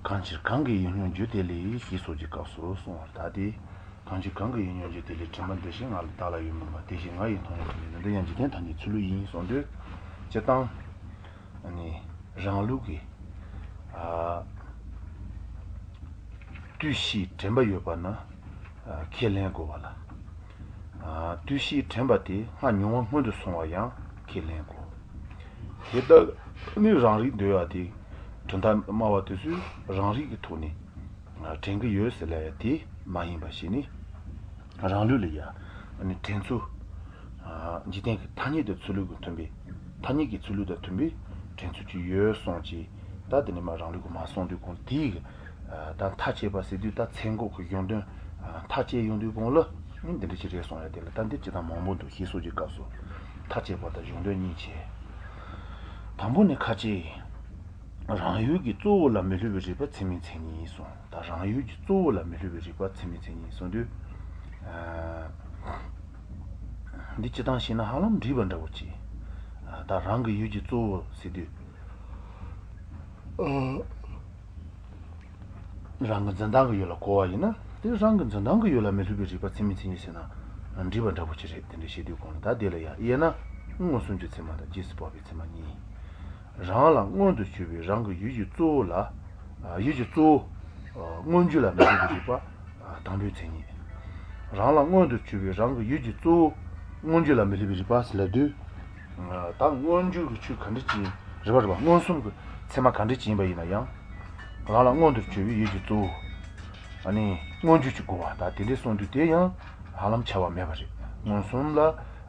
གང་ཕྱིར་གང་གི་ཡིད་མྱོང་འགྱུར་དེ་ལས་ཞེས་སོགས་ཀྱི་སྐབས་སུ་གསུངས་པ་ལྟར་ཏེ། གང་ཕྱིར་གང་གི་ཡིད་མྱོང་འགྱུར་དེ་ལས་དྲན་པ་འདི་བཞིན་ང་ལ་བདག་ལ་ཡོད་མིན་པ་དེ་བཞིན་ང་ཡིས་མཐོང་ཡང་དྲན་པའི་འདི་ཡང་འཇིག་རྟེན་ཐ་སྙད་ཚུལ་ལུགས་ཡིན་གསུངས་དུས། སྤྱིར་བཏང། རང་ལུགས་ཀྱི། དུས་ཕྱིས་དྲན་པ་ཡོད་པ་ན་ཁས་ལེན་དགོས་པ་ལ། དུས་ཕྱིས་དྲན་པ་དེ་སྔར་མྱོང་བ་སྔོན་དུ་སོང་བ་ཡང་ཁས་ལེན་དགོས། དེ་ལྟར་ནི་རང་རིག་འདོད་ཡ་དེ། གྲུབ་མཐའ་སྨྲ་བ་དེ་ཚོས་རང་རིག་གི་ཐོག་ནས་དྲན་གྱི་ཡོད་ཟེར་ལ་ཡ་དེ་མ་ཡིན་པ་ཞིག་ནི། རང་ལུགས་ལ་ཡ་དྲན་ཚུལ། འཇིག་རྟེན་གྱི་ཐ་སྙད་དུ་ཚུལ་ལུགས་ཀྱི་མཐུན་པའི་ཐ་སྙད་ཀྱི་ཚུལ་ལུགས་དང་མཐུན་པའི་དྲན་ཚུལ་ཅིག་ཡོད་གསུངས་ཀྱི། ད་དེ་ནས་མ་རང་ལུགས་ཀྱི་མ་གསུངས་དུས་གོང་དེའི་ད་མཐའ་དཔྱད་པ་ཟེར་དུས་ད་ཚད་འགོག་གི་གཞུང་དོན་མཐའ་དཔྱད་ཡོང་དུས་གོང་ལ་འདི་འདྲ་ཞིག་རེད་གསུངས་ཡ་དེ་ལ་ད་འདིར་ཇི་ལྟར་མང་པོ་འདུག་ཞེས་སོགས་ཀྱི་སྐབས་སུ་མཐའ་དཔྱད་པ་དང་གཞུང་དོན་གཉིས་བྱས། དང་པོ་ནི་ཁ་ཅིག། རང་ཡུལ་གྱི་གཙོ་བོ་ལ་མི་སླུ་བའི་རིག་པ་ཚད་མའི་མཚན་ཉིད་གསུངས་ད་རང་ཡུལ་གྱི་གཙོ་བོ་ལ་མི་སླུ་བའི་རིག་པ་ཚད་མའི་མཚན་ཉིད་གསུངས་དུས། འདི་སྤྱི་བཏང་བྱས་ན་ཧ་ལམ་འགྲིག་པ་འདྲ་བོ་ཅིག། ད་རང་གི་ཡུལ་གྱི་གཙོ་བོ་ཟེར་དུས། རང་གི་འཛིན་སྟངས་ཀྱི་ཡུལ་ལ་གོ་བ་ཡིན་ན་དེ་རང་གི་འཛིན་སྟངས་ཀྱི་ཡུལ་ལ་མི་སླུ་བའི་རིག་པ་ཚད་མའི་མཚན་ཉིད་ཟེར་ན་འགྲིག་པ་འདྲ་བོ་ཅིག་རེད་དེ་འདྲ་བཤད་དུས་གོང་ལ་ད་དེ་ལ་ཡང་དབྱེ་ན་མངོན་སུམ་གྱི་ཚད་མ་དང་རྗེས་སུ་དཔག་པའི་ཚད་མ་གཉིས། རང་ལ་མངོན་དུ་གྱུར་པའི་རང་གི་ཡུལ་གྱི་གཙོ་བོ་ལ། ཡུལ་གྱི་གཙོ་བོ། མངོན་གྱུར་ལ་མི་སླུ་བའི་རིག་པ་དང་པོའི་མཚན་ཉིད། རང་ལ་མངོན་དུ་གྱུར་པའི་རང་གི་ཡུལ་གྱི་གཙོ་བོ། མངོན་གྱུར་ལ་མི་སླུ་བའི་རིག་པ་ཟེར་ལབ་དུས། ད་མངོན་གྱུར་གྱི་ཆོས་ག་འདྲ་ཅིག་རེད་པ་རེད་པ་མངོན་སུམ་གྱི་ཚད་མ་ག་འདྲ་ཅིག་ཡིན་པ་ཡིན་ན་ཡང། རང་ལ་མངོན་དུ་གྱུར་པའི་ཡུལ་གྱི་གཙོ་བོ། ནི་མངོན་གྱུར་ཅིག་དགོས་པ་ད་དེ་འདྲའི་གསུངས་དུས་དེ་ཡང་ཧ་ལམ་ཁྱབ་པ་མེད་པ་རེད། མངོན་སུམ་ལ་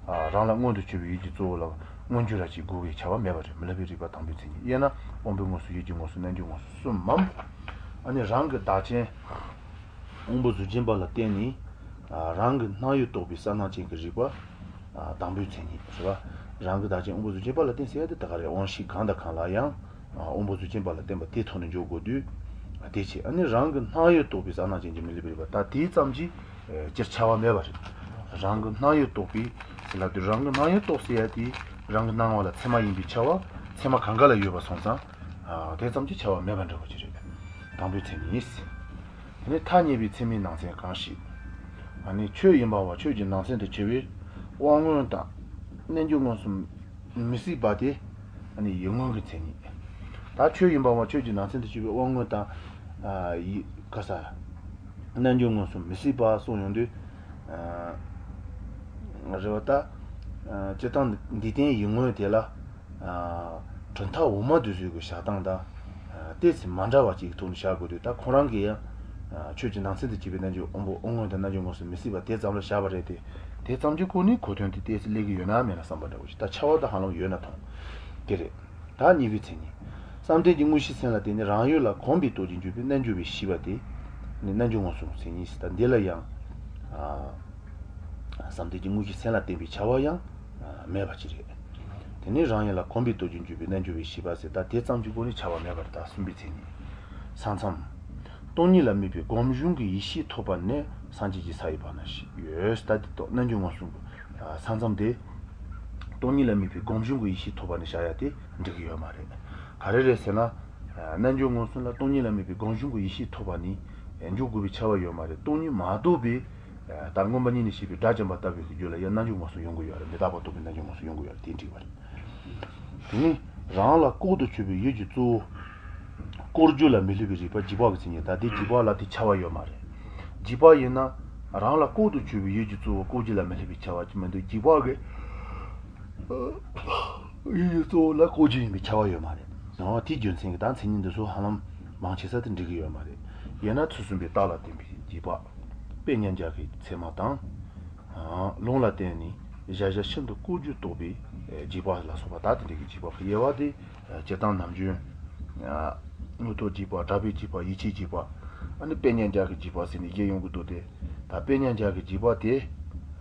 རང་ལ་མངོན་དུ་གྱུར་པའི་ཡུལ་གྱི་གཙོ་བོ་ལ་མངོན་གྱུར་ར་ཅིག་དགོས་པའི་ཁྱབ་པ་མེད་པ་རེད་མི་སླུ་བའི་རིག་པ་དང་པོའི་མཚན་ཉིད་དབྱེ་ན་དབང་པོའི་མངོན་སུམ་ཡིད་ཀྱི་མངོན་སུམ་རྣལ་འབྱོར་མངོན་སུམ་གསུམ་མམ། ནི་རང་གི་བདག་རྐྱེན་དབང་པོ་གཟུགས་ཅན་པ་ལ་བརྟེན་ནས་རང་གི་སྣང་ཡུལ་རྟོགས་པའི་གསལ་སྣང་ཅན་གྱི་རིག་པ། དང་པོའི་མཚན་ཉིད། རང་གི་བདག་རྐྱེན་དབང་པོ་གཟུགས་ཅན་པ་ལ་བརྟེན་ཟེར་ཡ་དེ་ད་ག་རེ་དབང་ཤེས་གང་དང་གང་ལ་ཡང་དབང་པོ་གཟུགས་ཅན་པ་ལ་བརྟེན་པ་དེའི་ཐོག་ནས་འཇོག་དགོས་དུས། དེ་བྱས་ཨ་ནི་རང་གི་སྣང་ཡུལ་རྟོགས་པའི་གསལ་སྣང་ཅན་གྱི་མི་སླུ་བའི་རིག་པ་ད་དེ་ཙམ་གྱིས་སྤྱིར་ཁྱབ་པ་མེད་པ་རེད། རང་གི་སྣང་ཡུལ་རྟོགས་པའི་ཟེར་ལབ་དུས་རང་གི་སྣང་ཡུལ་རྟོགས་ཟེར་ཡ་དེ་རང་གི་སྣང་བ་ལ་ཚད་མ་ཡིན་པའི་ཁྱབ་པ་ཚད་མ་གང་ག་ལ་ཡོད་པ་སོང་ཙང་དེ་ཙམ་གྱིས་ཁྱབ་པ་མེད་པ་འདྲ་བོ་ཅིག་རེད། དང་པོའི་མཚན་ཉིད། དེ་ནས་ཐ་སྙད་པའི་ཚད་མའི་ནང་ཚན་གང་ཞིག། ཨ་ནི་ཁྱོད་ཡིན་པ་བ་ཁྱོད་ཀྱི་ནང་ཚན་དུ་གྱུར་པའི་དབང་མངོན་དང། རྣལ་འབྱོར་མངོན་སུམ་མི་སྲིད་པ་དེ། ཨ་ནི་ཡིད་མངོན་གྱི་མཚན་ཉིད། ད་ཁྱོད་ཡིན་པ་བ་ཁྱོད་ཀྱི་ནང་ཚན་དུ་གྱུར་པའི་དབང་མངོན་དང། ཡིད། ཀ་ས། རྣལ་འབྱོར་མངོན་སུམ་མི་སྲིད་པ་གསུངས་ཡོང་དུས། རེད་བ་ད། སྤྱིར་བཏང་འདི་བསྟན་ཡིད་མངོན་དེ་ལ། གྲུབ་མཐའ་འོག་མ་དེ་ཚོའི་གི་བཞག་སྟངས་དང། ཏོག་ཙམ་མ་འདྲ་བ་ཅིག་གི་ཐོག་ནས་བཞག་དགོས་དུས་ད་ཁོང་རང་གིས་ཡང། ཁྱོད་ཀྱི་ནང་ཚན་དུ་གྱུར་པའི་རྣལ་འབྱོར་དབང་པོ་དབང་མངོན་དང་རྣལ་འབྱོར་མངོན་སུམ་མི་སྲིད་པ་དེ་ཙམ་ལ་བཞག་པ་རེད་དེ། དེ་ཙམ་གྱི་སྒོ་ནས་གོ་དོན་དེ་ཏོག་ཙམ་སླེབས་ཀྱི་ཡོད་ན་མེད་ན་བསམ་པ་འདྲ་བོ་ཞིག་ད་ཁྱབ་པ་ད་ཧ་ལམ་ཡོད་ན་མཐོང་གི་རེད། ད་གཉིས་པའི་མཚན་ཉིད། བསམ་གཏན་གྱི་དངོས་གཞིའི་སེམས་ལ་བརྟེན་ནས་རང་ཡུལ་ལ་གོམས་པའི་སྟོབས་ཀྱིས་འཇུག་པའི་རྣལ་འབྱོར་པའི་ཤེས་པ་དེ། ནི་རྣལ་འབྱོར་མངོན་སུམ་མཚན་ཉིད་ཟེར་ད་འདི་ལ་ཡང། བསམ་གཏན་གྱི་དངོས་གཞིའི་སེམས་ལ་བརྟེན་པའི་ཁྱབ་པ་ཡང་མེད་པ་ཅིག་རེད། དེ་ནས་རང་ཡུལ་ལ་གོམས་པའི་སྟོབས་ཀྱིས་འཇུག་པའི་རྣལ་འབྱོར་པའི་ཤེས་པ་ཟེར་ད་དེ་ཙམ་གྱི་སྒོ་ནས་ཁྱབ་པ་མེད་པ་རེད་ད་གསུམ་པའི་མཚན་ཉིད། ས་མཚམས། སྟོང་ཉིད་ལ་དམིགས་པའི་སྒོམ་བྱུང་གི་ཡེ་ཤེས་ཐོབ་པ་ནས་སངས་རྒྱས་ཀྱི་ས་ཡི་བར་ན་ཞིག་ཡོད། ད་དེ་རྟོགས་རྣལ་འབྱོར་མངོན་སུམ་གྱི་ས་མཚམས་དེ། སྟོང་ཉིད་ལ་དམིགས་པའི་སྒོམ་བྱུང་གི་ཡེ་ཤེས་ཐོབ་པ་ནས་བཞག་ཡ་དེ་འགྲིག་གི་ཡོད་མ་རེད། ག་རེ་རེད་ཟེར་ན། རྣལ་འབྱོར་མངོན་སུམ་ལ་སྟོང་ཉིད་ལ་དམིགས་པའི་སྒོམ་བྱུང་གི་ཡེ་ཤེས་ཐོབ་པ་ནས་འཇོག་དགོས་པའི་ཁྱབ་པ་ཡོད་མ་རེད་སྟོང་ཉིད་མ་རྟོགས་པའི་ད་མངོན་པ་ཉིད་ནས་བཤད་པའི་དགྲ་བཅོམ་པ་ལྟ་བུའི་རྒྱུད་ལ་ཡང་རྣལ་འབྱོར་མངོན་སུམ་ཡོང་གི་ཡོད་རེད་མི་རྟག་པ་རྟོགས་པའི་རྣལ་འབྱོར་མངོན་སུམ་ཡོང་གི་ཡོད་རེད་དེ་འགྲིག་པ་རེད། དེ་ནི་རང་ལ་ལྐོག་ཏུ་གྱུར་པའི་ཡུལ་གྱི་གཙོ་བོ། ལྐོག་གྱུར་ལ་མི་སླུ་བའི་རིག་པ་རྗེས་དཔག་གི་མཚན་ཉིད་ད་དེ་རྗེས་དཔག་ལ་དེ་ཁྱབ་པ་ཡོད་མ་རེད། རྗེས་དཔག་ཡིན་ན། རང་ལ་ལྐོག་ཏུ་གྱུར་པའི་ཡུལ་གྱི་གཙོ་བོ་ལྐོག་གྱུར་ལ་མི་སླུ་བའི་ཁྱབ་པ་ཅིག་མི་འདུག་རྗེས་དཔག་གི་ཡུལ་གྱི་གཙོ་བོ་ལ་ལྐོག་གྱུར་ཡིན་པའི་ཁྱབ་པ་ཡོད་མ་རེད། དེའི་རྒྱུ་མཚན་གྱིས་ད་མཚན་ཉིད་འདི་ཚོ་ཧ་ལམ་མང་ཆེ་ས་དེ་འགྲིག་གི་ཡོད་མ་རེད། དབྱེ་ན་ཚུལ་གསུམ་པའི་རྟགས་ལ་བརྟེན་པའི་རྗེས་དཔག། དཔེ་མཉམ་སྦྱར་གྱི་ཚད་མ་དང། ལུང་ལ་བརྟེན་ནས་གཞལ་བྱ་ཤིན་ཏུ་ལྐོག་གྱུར་རྟོགས་པའི་རྗེས་དཔག་ལ་སོགས་པ་དག་དེ་འདྲ་གི་རྗེས་དཔག་གི་དབྱེ་བ་དེ་སྤྱིར་བཏང་ནམ་རྒྱུན། དངོས་སྟོབས་རྗེས་དཔག་གྲགས་པའི་རྗེས་དཔག་ཡིད་ཆེས་རྗེས་དཔག། ཨ་ནི་དཔེ་མཉམ་སྦྱར་གྱི་རྗེས་དཔག་ཟེར་ནས་དབྱེ་ཡོང་གི་འདུག་སྟེ། ད་དཔེ་མཉམ་སྦྱར་གྱི་རྗེས་དཔག་དེ།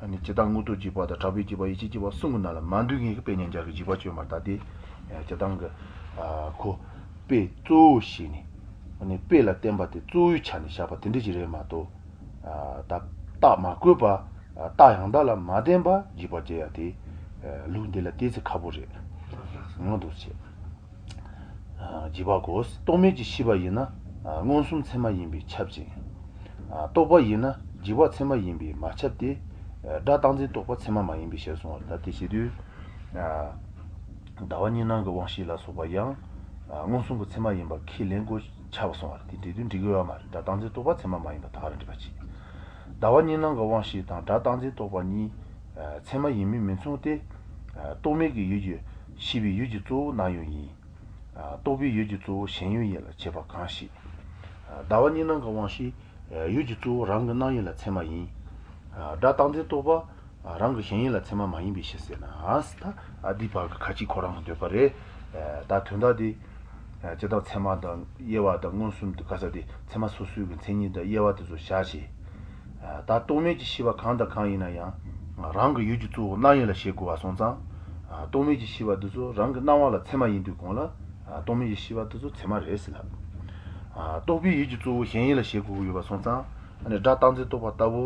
ནི་སྤྱིར་བཏང་དངོས་སྟོབས་རྗེས་དཔག་དང་གྲགས་པའི་རྗེས་དཔག་ཡིད་ཆེས་རྗེས་དཔག་གསུམ་གྱི་ནང་ལ་མ་འདུས་མཁན་གྱི་དཔེ་མཉམ་སྦྱར་གྱི་རྗེས་དཔག་བཅོས་མར་བཏགས་ཏེ། སྤྱིར་བཏང་གི། ཁོ། དཔེ་གཙོ་བོ་བྱས་ནས། ནི་དཔེ་ལ་བརྟེན་པ་དེ་གཙོ་བོའི་ཆ་ནས་བཞག་པ་དེ་འདྲ་ཞིག་རེད་མ་གཏོགས། ད་རྟགས་མ་བཀོད་པ། རྟགས་ཡང་དག་ལ་མ་བརྟེན་པ་རྗེས་དཔག་སྐྱེ་ཡ་དེ། ལུགས་འདི་ལ་ཏོག་ཙམ་ཁག་པོ་རེད། ངང་དུ་བྱས། རྗེས་དཔག་གོ། རྟོག་མེད་ཀྱི་ཤེས་པ་ཡིན་ན། མངོན་སུམ་ཚད་མ་ཡིན་པས་ཁྱབ་ཅིང། རྟོག་པ་ཡིན་ན་རྗེས་དཔག་ཚད་མ་ཡིན་པས་མ་ཁྱབ་སྟེ། སྒྲ་རྟག་འཛིན་རྟོག་པ་ཚད་མ་མ་ཡིན་པའི་ཕྱིར་གསུང་བ་ལྟར་དེ་བྱེད་དུས། ཟླ་བ་གཉིས་སྣང་གི་དབང་ཤེས་ལ་སོགས་པ་ཡང། མངོན་སུམ་གྱི་ཚད་མ་ཡིན་པ་ཁས་ལེན་དགོས་ཆགས་པ་སོང་བ་རེད་དེ་འདྲའི་དུས་འགྲིག་གི་ཡོད་མ་རེད་སྒྲ་རྟག་འཛིན་རྟོག་པ་ཚད་མ་མ་ཡིན་པ་དག་རེད་འགྲིག་པ་བྱེད། ཟླ་བ་གཉིས་སྣང་གི་དབང་ཤེས་དང་སྒྲ་རྟག་འཛིན་རྟོག་པ་གཉིས། ཚད་མ་ཡིན་མིན་མི་མཚུངས་ཏེ། རྟོག་མེད་ཀྱི་ཡུལ་གྱི་ཤེས་པའི་ཡུལ་གྱི་གཙོ་བོ་སྣང་ཡུལ་ཡིན། རྟོག་པའི་ཡུལ་གྱི་གཙོ་བོ་ཞེན་ཡུལ་ཡིན་ལ་བྱེད་པ་གང་ཞིག། ཟླ་བ་གཉིས་སྣང་གི་དབང་ཤེས་ཡུལ་གྱི་གཙོ་བོ་རང་གི་སྣང་ཡུལ་ལ་ཚད་མ་ཡིན། སྒྲ་རྟག་འཛིན་རྟོག་པ་རང་གི་ཞེན་ཡུལ་ལ་ཚད་མ་མ་ཡིན་པའི་ཕྱིར་ཟེར་ན། ད་འདིའི་བར་གྱི་ཁ་ཅིག་ཁོ་རང་གི་འདོད་པ་རེད། ད་དོན་དག་འདི། སྤྱིར་བཏང་ཚད་མ་དང་དབྱེ་བ་དང་མངོན་སུམ་དུ་ག་ས་དེ་ཚད་མ་སོ་སོའི་གི་མཚན་ཉིད་དང་དབྱེ་བ་དེ་ཚོ་བཞག་བྱས། ད་རྟོག་མེད་ཀྱི་ཤེས་པ་གང་དང་གང་ཡིན་ན་ཡང། རང་གི་ཡུལ་གྱི་གཙོ་བོ་སྣང་ཡུལ་ལ་བྱེད་དགོས་པ་སོང་ཙང། རྟོག་མེད་ཀྱི་ཤེས་པ་འདི་ཚོ་རང་གི་སྣང་བ་ལ་ཚད་མ་ཡིན་དུས་གོང་ལ། རྟོག་མེད་ཀྱི་ཤེས་པ་འདི་ཚོ་ཚད་མ་རེད་ཟེར་ལབ། རྟོག་པའི་ཡུལ་གྱི་གཙོ་བོ་ཞེན་ཡུལ་ལ་བྱེད་དགོས་ཀྱི་ཡོད་པ་སོང་ཙང། སྒྲ་རྟག་འཛིན་རྟོག་པ་ལྟ་བུ་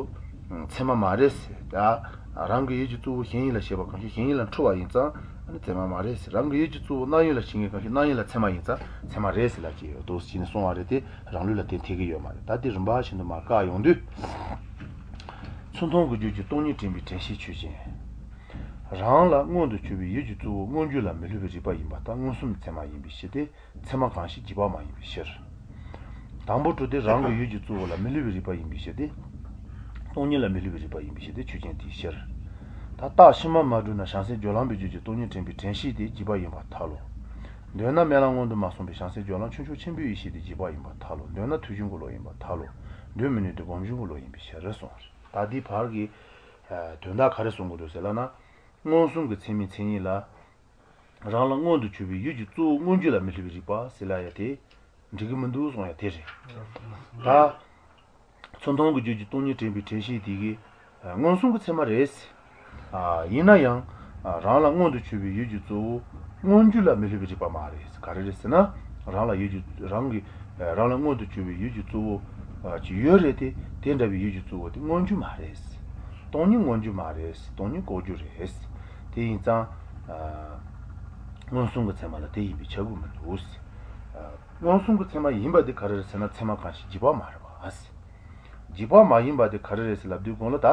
ཚད་མ་མ་རེད་ཟེར། རང་གི་ཡུལ་གྱི་གཙོ་བོ་ཞེན་ཡུལ་ལ་བྱེད་པ་གང་ཞིག་ཞེན་ཡུལ་ལ་འཁྲུལ་བ་ཡིན་ཙང། ཚད་མ་མ་རེད་ཟེར། རང་གི་ཡུལ་གྱི་གཙོ་བོ་སྣང་ཡུལ་ལ་བྱེད་མཁན་གང་ཞིག་སྣང་ཡུལ་ལ་ཚད་མ་ཡིན་ཙང་ཚད་མ་རེད་ཟེར་ལབ་ཀྱི་ཡོད་དོ་ཞེས་ནས་གསུང་བ་རེད་དེ་རང་ལུགས་ལ་དེ་འཐད་ཀྱི་ཡོད་མ་རེད་ད་དེ་རིམ་པ་བཞིན་དུ་མར་བཀག་ཡོང་དུས། ཚུར་མཐོང་གི་རྒྱུད་ཀྱི་སྟོང་ཉིད་དྲན་པའི་དྲན་ཤེས་ཆོས་ཅན། རང་ལ་མངོན་དུ་གྱུར་པའི་ཡུལ་གྱི་གཙོ་བོ་མངོན་གྱུར་ལ་མི་སླུ་བའི་རིག་པ་ཡིན་པར་ཐལ་མངོན་སུམ་ཚད་མ་ཡིན་པའི་ཕྱིར་ཏེ་ཚད་མ་གང་ཞིག་རྗེས་དཔག་མ་ཡིན་པའི་ཕྱིར། དང་པོ་གྲུབ་སྟེ་རང་གི་ཡུལ་གྱི་གཙོ་བོ་ལ་མི་སླུ་བའི་རིག་པ་ཡིན་པའི་ཕྱིར་ཏེ། སྟོང་ཉིད་ལ་མི་སླུ་བའི་རིག་པ་ཡིན་པའི་ཕྱིར་ཏེ་ཆོས་ཅན་དེའི་ཕྱིར། ད་རྟགས་ཕྱི་མ་མ་གྲུབ་ན་བྱང་སེམས་སྦྱོར་ལམ་པའི་རྒྱུད་ཀྱི་སྟོང་ཉིད་དྲན་པའི་དྲན་ཤེས་དེ་རྗེས་དཔག་ཡིན་པར་ཐལ་ལོ། འདོད་ན་དམན་ལམ་སྔོན་དུ་མ་སོང་བའི་བྱང་སེམས་སྦྱོར་ལམ་ཆུང་ཆུང་ཆེན་པོའི་ཡེ་ཤེས་དེ་རྗེས་དཔག་ཡིན་པར་ཐལ་ལོ། འདོད་ན་ཐོས་བྱུང་གི་བློ་ཡིན་པར་ཐལ་ལོ། འདོད་མི་ནུས་ཏེ་སྒོམ་བྱུང་གི་བློ་ཡིན་པའི་ཕྱིར་གསུངས། ད་འདིའི་བར་གྱི་དོན་དག་ག་རེ་གསུང་གི་འདུག་ཟེར་ལབ་ན། མངོན་སུམ་གྱི་ཚད་མའི་མཚན་ཉིད་ལ། རང་ལ་མངོན་དུ་གྱུར་པའི་ཡུལ་གྱི་གཙོ་བོ་མངོན་གྱུར་ལ་མི་སླུ་བའི་རིག་པ་ཟེར་ལབ་ཡ་དེ། འགྲིག་གི་མི་འདུག་གསུང་ཡ་དེ་རེད། ད། ཚུར་མཐོང་གི་རྒྱུད་ཀྱི་སྟོང་ཉིད་དྲན་པའི་དྲན་ཤེས་དེ་གི། མངོན་སུམ་གྱི་ཚད་མ་རེད། ཡིན་ན་ཡང། རང་ལ་མངོན་དུ་གྱུར་པའི་ཡུལ་གྱི་གཙོ་བོ་མངོན་གྱུར་ལ་མི་སླུ་བའི་རིག་པ་མ་རེད། ག་རེ་རེད་ཟེར་ན། རང་ལ་ཡུལ་གྱི་རང་གི། རང་ལ་མངོན་དུ་གྱུར་པའི་ཡུལ་གྱི་གཙོ་བོ། ཅིག་ཡོད་རེད་དེ། དེ་འདྲ་བའི་ཡུལ་གྱི་གཙོ་བོ་དེ་མངོན་གྱུར་མ་རེད། སྟོང་ཉིད་མངོན་གྱུར་མ་རེད། སྟོང་ཉིད་ལྐོག་གྱུར་རེད། དེ་ཡིན་ཙང། མངོན་སུམ་གྱི་ཚད་མ་ལ་དེ་ཡིན་པའི་ཁྱབ་ཀྱི་མི་འདུག། མངོན་སུམ་གྱི་ཚད་མ་ཡིན་པ་དེ་ག་རེ་རེད་ཟེར་ན་ཚད་མ་གང་ཞིག་རྗེས་དཔག་མ་རེད་པ། རྗེས་དཔག་མ་ཡིན་པ་དེ་ག་རེ་རེད་ཟེར་ལབ་དུས་གོང་ལ་ད།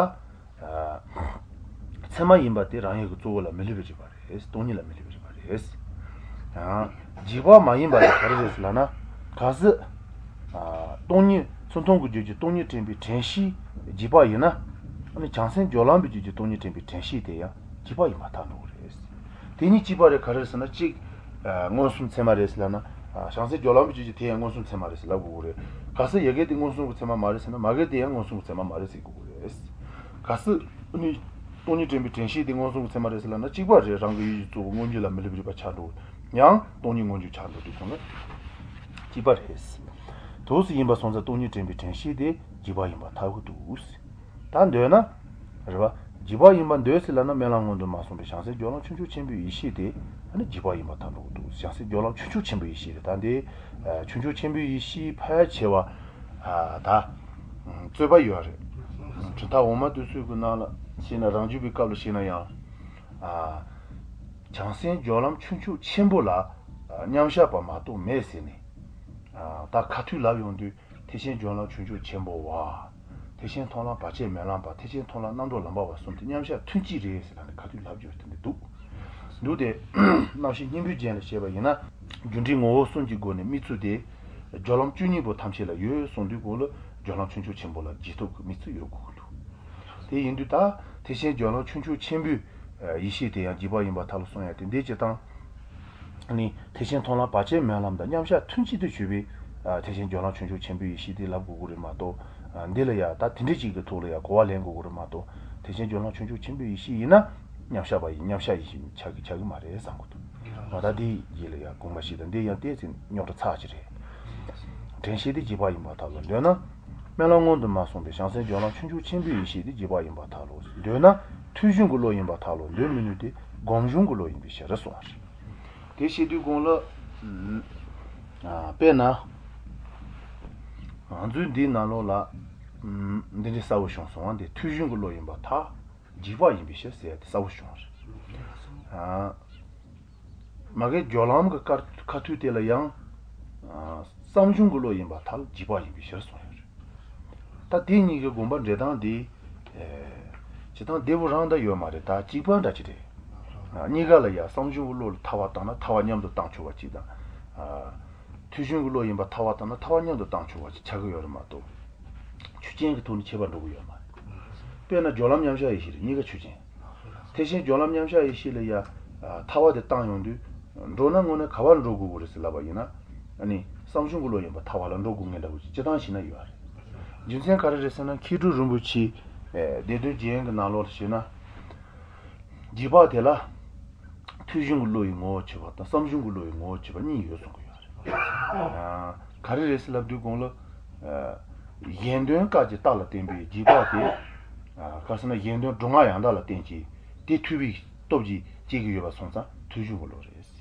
ཚད་མ་ཡིན་པ་དེ་རང་ཡུལ་གྱི་གཙོ་བོ་ལ་མི་སླུ་བའི་རིག་པ་རེད། སྟོང་ཉིད་ལ་མི་སླུ་བའི་རིག་པ་རེད། རྗེས་དཔག་མ་ཡིན་པ་དེ་ག་རེ་རེད་ཟེར་ལབ་ན། གལ་སྲིད། སྟོང་ཉིད་ཚུར་མཐོང་གི་རྒྱུད་ཀྱི་སྟོང་ཉིད་དྲན་པའི་དྲན་ཤེས་རྗེས་དཔག་ཡིན་ན། བྱང་སེམས་སྦྱོར་ལམ་པའི་རྒྱུད་ཀྱི་སྟོང་ཉིད་དྲན་པའི་དྲན་ཤེས་དེ་ཡང་རྗེས་དཔག་ཡིན་པར་ཐལ་འགྲོ་གི་རེད། དེ་གཉིས་གཅིག་པ་རེད་ག་རེ་ཟེར་ན་གཅིག། མངོན་སུམ་ཚད་མ་རེད་ཟེར་ལབ་ན། བྱང་སེམས་སྦྱོར་ལམ་པའི་རྒྱུད་ཀྱི་དེ་ཡང་མངོན་སུམ་ཚད་མ་རེད་ཟེར་ལབ་དགོས་ཀྱི་རེད། གལ་སྲིད་ཡ་གི་དེ་མངོན་སུམ་གྱི་ཚད་མ་མ་རེད་ཟེར་ན་མ་གི་དེ་ཡང་མངོན་སུམ་གྱི་ཚད་མ་མ་རེད་ཟེར་དགོས་ཀྱི་རེད། གལ་སྲིད། ནི། སྟོང་ཉིད་དྲན་པའི་དྲན་ཤེས་དེ་མངོན་སུམ་གྱི་ཚད་མ་རེད་ཟེར་ལབ་ན་གཅིག་པ་རེད་རང་གི་ཡུལ་གྱི་གཙོ་བོ་མངོན་གྱུར་ལ་མི་སླུ་བའི་རིག་པ་ཆགས་འགྲོ། ཡང་སྟོང་ཉིད་མངོན་གྱུར་ཆགས་འགྲོ་དུས་གང་ལ། གཅིག་པ་རེད། འདུག་སེ་ཡིན་པ་སོང་ཙང་སྟོང་ཉིད་དྲན་པའི་དྲན་ཤེས་དེ་རྗེས་དཔག་ཡིན་པར་ཐལ་གྱི་འདུག། ད་འདོད་ན། རེད་པ། རྗེས་དཔག་ཡིན་པར་འདོད་ཟེར་ལབ་ན་དམན་ལམ་སྔོན་དུ་མ་སོང་བའི་བྱང་སེམས་སྦྱོར་ལམ་ཆུང་ཆུང་ཆེན་པོའི་ཡེ་ཤེས་དེ། ནི་རྗེས་དཔག་ཡིན་པར་ཐལ་འགྲོ་གི་འདུག་བྱང་སེམས་སྦྱོར་ལམ་ཆུང་ཆུང་ཆེན་པོའི་ཡེ་ཤེས་རེད་ད་འདི། ཆུང་ཆུང་ཆེན་པོའི་ཡེ་ཤེས་ཕལ་ཆེ་བ། ད། རྩོད་པ་ཡོད་རེད། གྲུབ་མཐའ་འོག་མ་དེ་ཚོའི་གི་ནང་ལ་བཤད་ན་རང་རྒྱུད་པའི་སྐབས་ལ་བཤད་ན་ཡང། བྱང་སེམས་སྦྱོར་ལམ་ཆུང་ཆུང་ཆེན་པོ་ལ། མཉམ་གཞག་པ་མ་གཏོགས་མེད་ཟེར་ནས། ད་ཁ་ཐུག་ལབ་ཡོང་དུས་ཐེག་ཆེན་སྦྱོར་ལམ་ཆུང་ཆུང་ཆེན་པོ་བ། ཐེག་ཆེན་མཐོང་ལམ་བར་ཆད་མེད་ལམ་པ་ཐེག་ཆེན་མཐོང་ལམ་རྣམ་གྲོལ་ལམ་པ་བ་གསུམ་དེ་མཉམ་གཞག་ཐུན་གཅིག་རེད་ཟེར་ན་ནི་ཁ་ཐུག་ལབ་རྒྱུ་དེ་འདྲ་འདུག་འདུག་སྟེ། རྣམ་བཤད་སྙིང་པོའི་རྒྱན་ལ་བྱས་པ་ཡིན་ན། རྒྱུ་འབྲས་ངོ་བོ་གསུམ་གྱི་སྒོ་ནས་དམིགས་ཚུལ་དེ། སྦྱོར་ལམ 12 པོ་ཐམས་ཅད་ལ་ཡོད་གསུངས་དུས་གོ་ལ་སྦྱོར་ལམ་ཆུང་ཆུང་ཆེན་པོ་ལ་རྗེས་ཐོབ་ཀྱི་དམིགས་ཚུལ་ཡོད་དགོས་ཀྱི་འདུག་དེ་ཡིན་དུས་ད་ཐེག་ཆེན་སྦྱོར་ལམ་ཆུང་ཆུང་ཆེན་པོའི་ཡེ་ཤེས་དེ་ཡང་རྗེས་དཔག་ཡིན་པར་ཐལ་གསུང་ཡ་དེ་འདི་སྤྱིར་བཏང། ནི། ཐེག་ཆེན་མཐོང་ལམ་བར་ཆད་མེད་ལམ་དང་མཉམ་གཞག་ཐུན་གཅིག་ཏུ་གྱུར་པའི། ཐེག་ཆེན་སྦྱོར་ལམ་ཆུང་ཆུང་ཆེན་པོའི་ཡེ་ཤེས་དེ་ལབ་དགོས་ཀྱི་རེད་མ་གཏོགས། འདི་ལ་ཡང་ད་དེ་འདྲའི་ཅིག་གི་ཐོག་ལ་ཡང་གོ་བ་ལེན་དགོས་ཀྱི་རེད་མ་གཏོགས། ཐེག་ཆེན་སྦྱོར་ལམ་ཆུང་ཆུང་ཆེན་པོའི་ཡེ་ཤེས་ཡིན་ན། མཉམ་གཞག་པ་ཡིན་མཉམ་གཞག་ཡེ་ཤེས་ཆགས་ཀྱི་ཆགས་ཀྱི་མ་རེད་བསམ་གྱི་འདུག་ང་ད་འདི་ཡིད་ལ་ཡང་དགོངས་པ་ཞིག་དང་འདི་ཡང་བལྟས་ཚེ་རྙོག་དྲ་ཚ་ཅིག་རེད། དྲན་ཤེས་དེ་རྗེས་དཔག་ཡིན་པར་ཐལ་ལོ་འདོད་ན། དམན་ལམ་སྔོན་དུ་མ་སོང་བའི་བྱང་སེམས་སྦྱོར་ལམ་ཆུང་ཆུང་ཆེན་པོའི་ཡེ་ཤེས་དེ་རྗེས་དཔག་ཡིན་པར་ཐལ་ལོ་འདོད་ན། ཐོས་བྱུང་གི་བློ་ཡིན་པར་ཐལ་ལོ་འདོད་མི་ནུས་ཏེ་སྒོམ་བྱུང་གི་བློ་ཡིན་པའི་ཕྱིར་གསུངས་པ་རེད། དེ་བཤད་དུས་གོང་ལ། དཔེར་ན། ང་ཚོའི་འདིའི་ནང་ལོགས་ལ། འདི་འདྲའི་གསལ་པོ་བྱུང་སོང་བ་འདི་ཐོས་བྱུང་གི་བློ་ཡིན་པར་ཐལ། རྗེས་དཔག་ཡིན་པའི་ཕྱིར་ཟེར་ཡ་དེ་གསལ་པོ་བྱུང་བ་རེད། མ་གི་སྦྱོར་ལམ་གྱི་ཁ་ཐུག་དེ་ལ་ཡང། བསམ་བྱུང་གི་བློ་ཡིན་པར་ཐལ་རྗེས་དཔག་ཡིན་པའི་ཕྱིར་གསུངས་ཡོད་རེད། ད་དེ་གཉིས་ཀྱི་དགོངས་པ་འགྲེལ་སྟངས་དེ། བྱེད་སྟངས་བདེ་པོ་རང་ད་ཡོད་མ་རེད་ད་གཅིག་པ་འདྲ་གཅིག་རེད། གཉིས་ཀ་ལ་ཡ་བསམ་བྱུང་གི་བློ་ལ་ཐལ་བ་བཏང་ན་ཐལ་བ་མཉམ་དུ་བཏང་ཆོག་པ་གཅིག་དང། ཐོས་བྱུང་གི་བློ་ཡིན་པར་ཐལ་བ་བཏང་ན་ཐལ་བ་མཉམ་དུ་བཏང་ཆོག་པ་ཅིག་ཆགས་ཀྱི་ཡོད་རེད་མ་གཏོགས། ཆོས་ཅན་གྱི་ཐོག་ནས་ཁྱད་པར་འགྲོ་གི་ཡོད་མ་རེད། དཔེར་ན་སྦྱོར་ལམ་མཉམ་གཞག་ཡེ་ཤེས་རེད་གཉིས་ཀ་ཆོས་ཅན། ཐེག་ཆེན་སྦྱོར་ལམ་མཉམ་གཞག་ཡེ་ཤེས་ལ་ཡ། ཐལ་བ་དེ་བཏང་ཡོང་དུས། འགྲོ་ན་དངོས་གནས་ག་པར་འགྲོ་དགོས་དགོས་རེད་ཟེར་ལབ་པ་ཡིན་ན། ནི། བསམ་བྱུང་གི་བློ་ཡིན་པར་ཐལ་བ་ལ་འགྲོ་དགོས་ངེས་འདྲ་བོ་ཅིག་སྤྱི་བཏང་ཞིག་ན་ཡོད་རེད། རྒྱུ་མཚན་ག་རེ་རེད་ཟེར་ན་མཁས་གྲུབ་རིན་པོ་ཆེའི། སྡེ་དོན་རྒྱན་གྱི་ནང་ལོགས་ལ་བྱས་ན། རྗེས་དཔག་དེ་ལ། ཐོས་བྱུང་གི་བློ་ཡི་ངོ་བོར་བྱས་པ་དང་བསམ་བྱུང་གི་བློ་ཡི་ངོ་བོར་བྱས་པ་གཉིས་ཡོད་གསུང་གི་ཡོད་རེད། ག་རེ་རེད་ཟེར་ལབ་དུས་གོང་ལ། གཞན་དོན་སྐབས་ཀྱི་རྟགས་ལ་བརྟེན་པའི་རྗེས་དཔག་དེ། ག་ཟེར་ན་གཞན་དོན་སྒྲུབ་ངག་ཡང་དག་ལ་བརྟེན་བྱས་དེ་ཐོས་པའི་སྟོབས་ཀྱིས་སྐྱེ་གི་ཡོད་པ་སོང་ཙང་ཐོས་བྱུང་གི་བློ་རེད།